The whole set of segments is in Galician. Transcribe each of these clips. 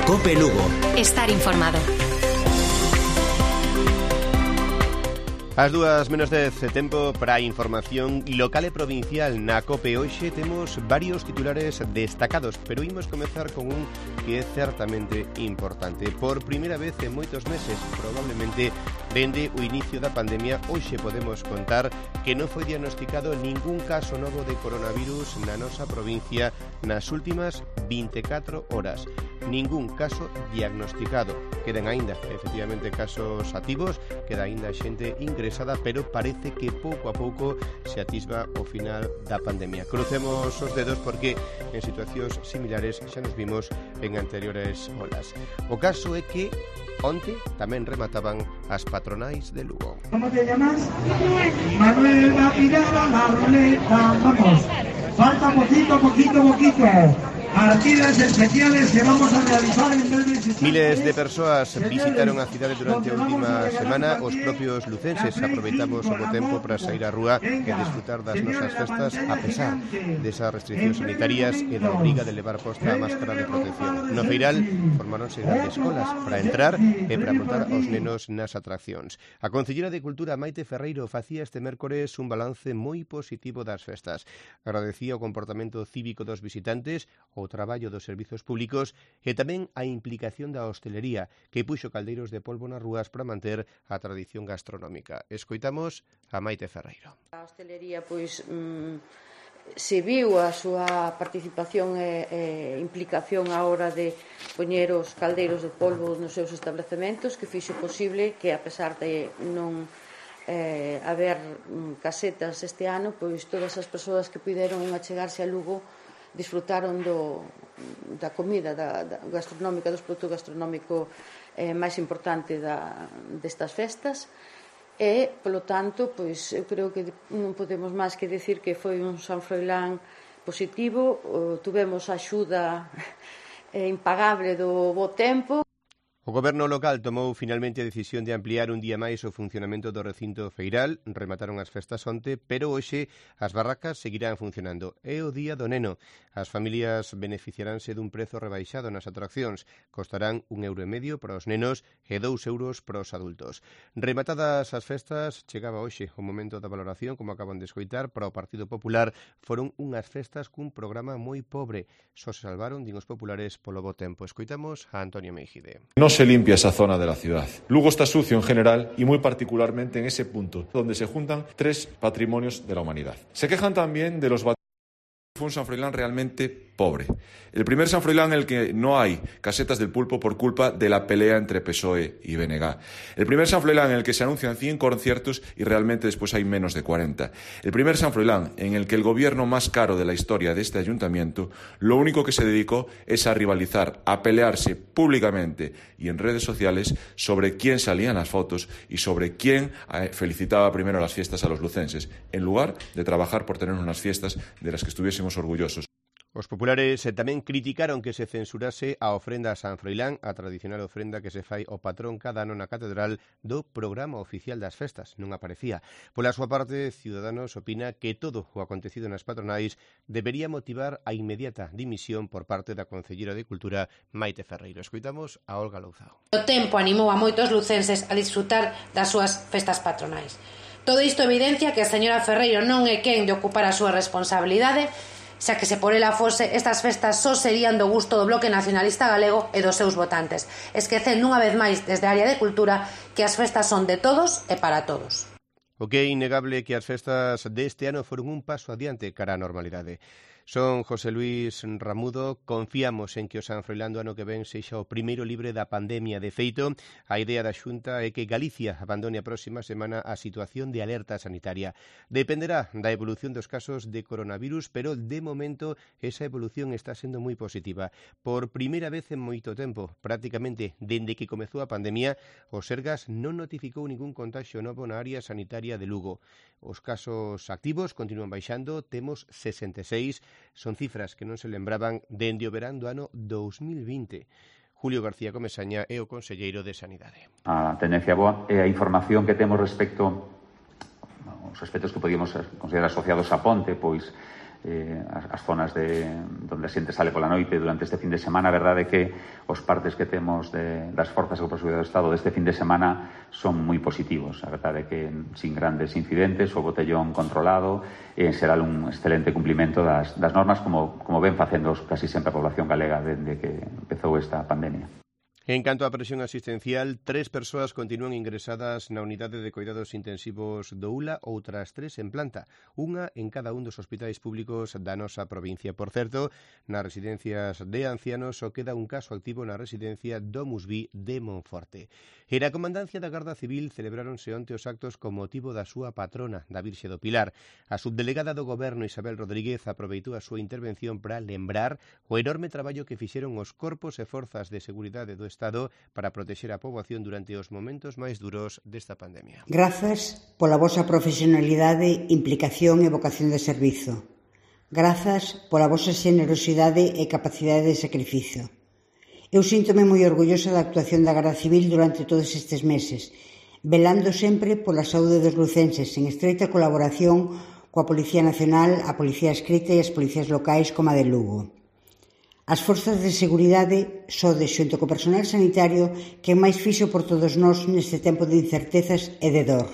COPE Lugo. Estar informado. As 2:10, tempo para a información local e provincial na COPE. Hoxe temos varios titulares destacados, pero imos comezar con un que é certamente importante. Por primeira vez en moitos meses, probablemente dende o inicio da pandemia, hoxe podemos contar que non foi diagnosticado ningún caso novo de coronavirus na nosa provincia nas últimas 24 horas. Ningún caso diagnosticado. Quedan aínda, efectivamente, casos activos, queda aínda xente ingresada, pero parece que pouco a pouco se atisba o final da pandemia. Crucemos os dedos porque en situacións similares xa nos vimos en anteriores olas. O caso é que onte tamén remataban as patronais de Lugo. ¿Cómo te llamas? Manuel va a tirar a la ruleta. Vamos, falta poquito. Partidas especiales que vamos a realizar en breves instantes. Miles de persoas visitaron a cidade durante a última semana. Os propios lucenses aproveitamos o bo tempo para sair á rúa e disfrutar das nosas festas a pesar desas restriccións sanitarias e da obriga de levar posta a máscara de protección. No Feiral formáronse grandes colas para entrar e para montar aos nenos nas atraccións. A Concelleira de Cultura, Maite Ferreiro, facía este mércores un balance moi positivo das festas. Agradecía o comportamento cívico dos visitantes, o traballo dos servizos públicos e tamén a implicación da hostelería, que puxo caldeiros de polvo nas rúas para manter a tradición gastronómica. Escoitamos a Maite Ferreiro. A hostelería, pois, se viu a súa participación e implicación á hora de poñer os caldeiros de polvo nos seus establecementos, que fixo posible que, a pesar de non haber casetas este ano, pois todas as persoas que puderon achegarse a Lugo disfrutaron da comida gastronómica, dos produtos gastronómico máis importante destas festas e, polo tanto, pois eu creo que non podemos máis que decir que foi un San Froilán positivo. Tuvemos a axuda impagable do bo tempo. O Goberno local tomou finalmente a decisión de ampliar un día máis o funcionamento do recinto feiral. Remataron as festas onte, pero hoxe as barracas seguirán funcionando. É o día do neno. As familias beneficiaránse dun prezo rebaixado nas atraccións. Costarán €1,5 para os nenos e €2 para os adultos. Rematadas as festas, chegaba hoxe o momento da valoración, como acaban de escoitar. Para o Partido Popular foron unhas festas cun programa moi pobre. Só se salvaron, din os populares, polo bo tempo. Escoitamos a Antonio Meijide. No se limpia esa zona de la ciudad. Lugo está sucio en general y muy particularmente en ese punto donde se juntan 3 patrimonios de la humanidad. Se quejan también de los fue un San Froilán realmente pobre. El primer San Froilán en el que no hay casetas del pulpo por culpa de la pelea entre PSOE y BNG. El primer San Froilán en el que se anuncian 100 conciertos y realmente después hay menos de 40. El primer San Froilán en el que el gobierno más caro de la historia de este ayuntamiento lo único que se dedicó es a rivalizar, a pelearse públicamente y en redes sociales sobre quién salía en las fotos y sobre quién felicitaba primero las fiestas a los lucenses, en lugar de trabajar por tener unas fiestas de las que estuviésemos orgullosos. Os populares tamén criticaron que se censurase a ofrenda a San Froilán, a tradicional ofrenda que se fai ao patrón cada ano na catedral do programa oficial das festas. Non aparecía. Pola súa parte, Ciudadanos opina que todo o acontecido nas patronais debería motivar a inmediata dimisión por parte da Concelleira de Cultura, Maite Ferreiro. Escoitamos a Olga Louzao. O tempo animou a moitos lucenses a disfrutar das súas festas patronais. Todo isto evidencia que a señora Ferreiro non é quen de ocupar a súa responsabilidade, xa que se por ela fose, estas festas só serían do gusto do Bloque Nacionalista Galego e dos seus votantes, esquecendo unha vez máis desde a área de cultura que as festas son de todos e para todos. O que é innegable é que as festas deste ano foron un paso adiante cara á normalidade. Son José Luis Ramudo. Confiamos en que o San Froilán do ano que ven sexa o primeiro libre da pandemia. De feito, a idea da Xunta é que Galicia abandone a próxima semana a situación de alerta sanitaria. Dependerá da evolución dos casos de coronavirus, pero de momento esa evolución está sendo moi positiva. Por primeira vez en moito tempo, prácticamente dende que comezou a pandemia, o Sergas non notificou ningún contagio novo na área sanitaria de Lugo. Os casos activos continúan baixando, temos 66, son cifras que non se lembraban dende o verán do ano 2020. Julio García Comesaña é o conselleiro de Sanidade. A tendencia boa é a información que temos respecto os aspectos que podíamos considerar asociados a Ponte, pois as zonas donde a xente sale pola noite durante este fin de semana. A verdade é que os partes que temos das forzas de seguridade do Estado deste fin de semana son moi positivos. A verdade é que sin grandes incidentes, o botellón controlado, e en xeral un excelente cumplimento das normas, como ven facendo casi sempre a población galega dende que empezou esta pandemia. En canto á presión asistencial, 3 persoas continúan ingresadas na unidade de cuidados intensivos do ULA, outras 3 en planta, unha en cada un dos hospitais públicos da nosa provincia. Por certo, nas residencias de ancianos só queda un caso activo na residencia Domus Vi de Monforte. E na Comandancia da Garda Civil celebráronse onte os actos con motivo da súa patrona, da Virxe do Pilar. A subdelegada do Goberno, Isabel Rodríguez, aproveitou a súa intervención para lembrar o enorme traballo que fixeron os corpos e forzas de seguridade do Estado para protexer a poboación durante os momentos máis duros desta pandemia. Grazas pola vosa profesionalidade, implicación e vocación de servizo. Grazas pola vosa xenerosidade e capacidade de sacrificio. Eu síntome moi orgullosa da actuación da Garda Civil durante todos estes meses, velando sempre pola saúde dos lucenses, en estreita colaboración coa Policía Nacional, a Policía Escrita e as policías locais como a de Lugo. As forzas de seguridade sodes xunto co personal sanitario que máis fixo por todos nós neste tempo de incertezas e de dor.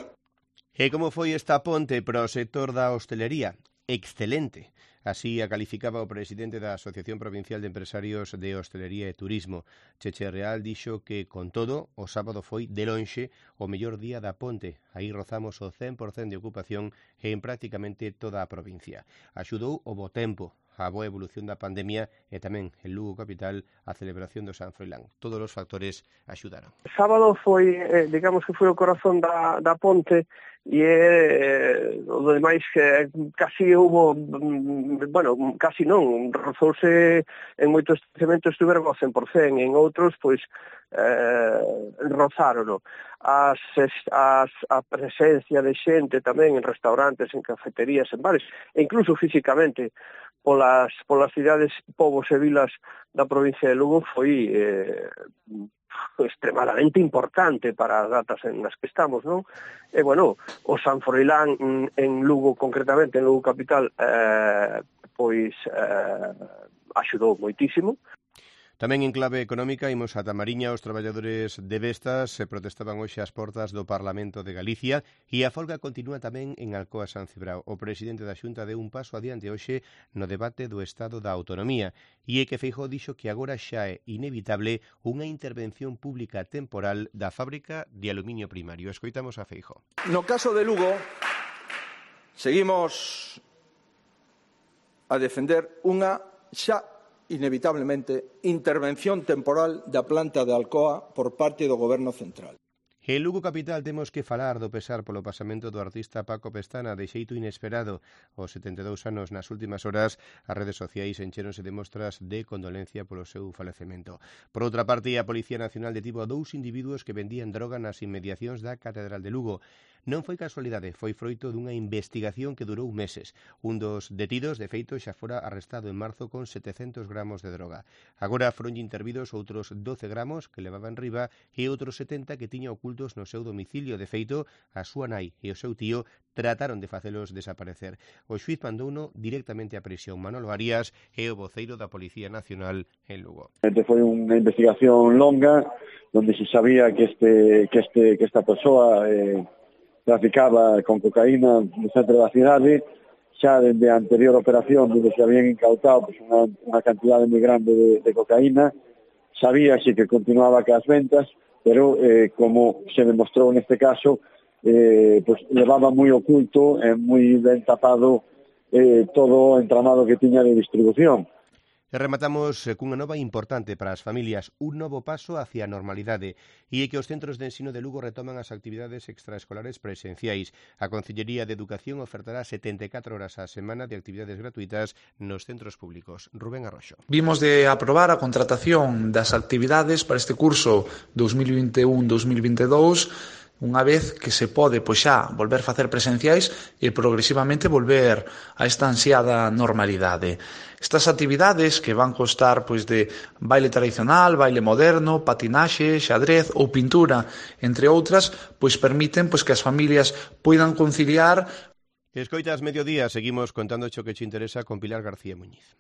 E como foi esta ponte para o sector da hostelería? Excelente. Así a calificaba o presidente da Asociación Provincial de Empresarios de Hostelería e Turismo. Cheche Real dixo que, con todo, o sábado foi de lonxe o mellor día da ponte. Aí rozamos o 100% de ocupación en prácticamente toda a provincia. Axudou o bo tempo, a boa evolución da pandemia e tamén en Lugo capital a celebración do San Froilán. Todos os factores axudaron. O sábado foi, digamos que foi o corazón da ponte e o demais que casi hubo, casi non, rozouse en moitos establecementos estuveron ao 100%, en outros, pois, rozárono. A presencia de xente tamén en restaurantes, en cafeterías, en bares, e incluso físicamente polas cidades, povos e vilas da provincia de Lugo foi extremadamente importante para as datas en las que estamos, non? E, bueno, o San Froilán en Lugo, concretamente, en Lugo capital, axudou moitísimo. Tamén en clave económica, imos ata Mariña. Os traballadores de Vestas se protestaban hoxe ás portas do Parlamento de Galicia e a folga continúa tamén en Alcoa San Cibrao. O presidente da Xunta deu un paso adiante hoxe no debate do Estado da Autonomía e é que Feijóo dixo que agora xa é inevitable unha intervención pública temporal da fábrica de aluminio primario. Escoitamos a Feijóo. No caso de Lugo, seguimos a defender unha xa inevitablemente intervención temporal da planta de Alcoa por parte do Goberno central. En Lugo capital temos que falar do pesar polo pasamento do artista Paco Pestana de xeito inesperado. Aos 72 anos, nas últimas horas, as redes sociais enchéronse de mostras de condolencia polo seu falecemento. Por outra parte, a Policía Nacional detivo a 2 individuos que vendían droga nas inmediacións da Catedral de Lugo. Non foi casualidade, foi froito dunha investigación que durou meses. Un dos detidos, de feito, xa fora arrestado en marzo con 700 gramos de droga. Agora foron intervidos outros 12 gramos que levaban riba e outros 70 que tiña ocultos no seu domicilio. De feito, a súa nai e o seu tío trataron de facelos desaparecer. O xuiz mandouno directamente a prisión. Manolo Arias é o voceiro da Policía Nacional en Lugo. Foi unha investigación longa onde se sabía que esta persoa traficaba con cocaína no centro da cidade. Xa dende a anterior operación onde se habían incautado unha cantidade moi grande de cocaína, sabíase que continuaba cas ventas, pero como se demostrou neste caso, levaba moi oculto e moi ben tapado todo o entramado que tiña de distribución. E rematamos cunha nova importante para as familias, un novo paso hacia a normalidade, e é que os centros de ensino de Lugo retoman as actividades extraescolares presenciais. A Consellería de Educación ofertará 74 horas á semana de actividades gratuitas nos centros públicos. Rubén Arroxo. Vimos de aprobar a contratación das actividades para este curso 2021-2022, unha vez que se pode xa volver a facer presenciais e progresivamente volver a esta ansiada normalidade. Estas actividades que van constar de baile tradicional, baile moderno, patinaxe, xadrez ou pintura, entre outras, permiten que as familias poidan conciliar. Escoitas Mediodía, seguimos contando o que che interesa con Pilar García Muñiz.